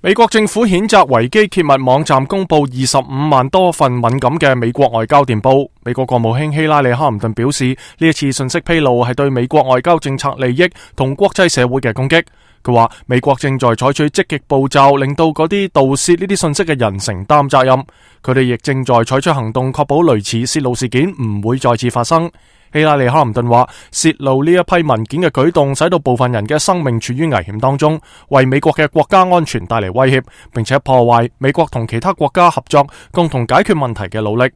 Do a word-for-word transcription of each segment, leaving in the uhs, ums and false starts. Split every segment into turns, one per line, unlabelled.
美國政府譴責維基揭密網站公布二十五萬多份敏感嘅美國外交電報。美國國務卿希拉里·克林頓表示，呢一次信息披露係對美國外交政策利益同國際社會嘅攻擊。佢話美國正在採取積極步驟，令到嗰啲盜竊呢啲信息嘅人承擔責任。佢哋亦正在採取行動，確保類似洩露事件唔會再次發生。希拉里·克林頓話，洩露呢一批文件嘅舉動使到部分人嘅生命處於危險當中，為美國嘅國家安全帶嚟威脅，並且破壞美國同其他國家合作共同解決問題嘅努力。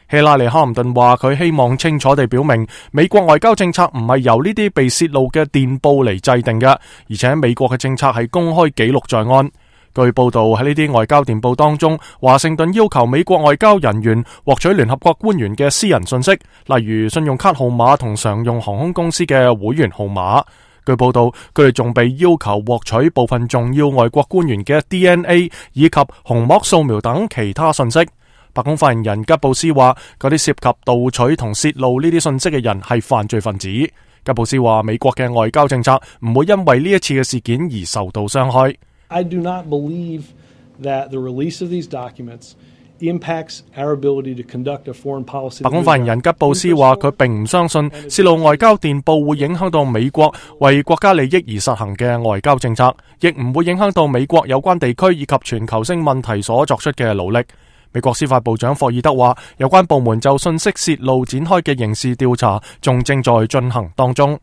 希拉里·克林頓話，佢希望清楚地表明，美國外交政策唔係由呢啲被洩露嘅電報嚟制定嘅，而且美國嘅政策係公開記錄在案。據報道，喺呢啲外交電報當中，華盛頓要求美國外交人員獲取聯合國官員嘅私人信息，例如信用卡號碼同常用航空公司嘅會員號碼。據報道，佢哋仲被要求獲取部分重要外國官員嘅 D N A 以及虹膜掃描等其他信息。白宮發言人吉布斯話，嗰啲涉及盜取同洩露呢啲信息嘅人係犯罪分子。吉布斯話，美國嘅外交政策唔會因為呢一次嘅事件而受到傷害。
I do not believe that the release of these documents impacts our ability to conduct a foreign policy.
白宮發言人吉布斯話，佢並唔相信洩露外交電報會影響到美國為國家利益而實行嘅外交政策，亦唔會影響到美國有關地區以及全球性問題所作出嘅努力。美國司法部長霍爾德話，有關部門就信息洩露展開嘅刑事調查仲正在進行當中。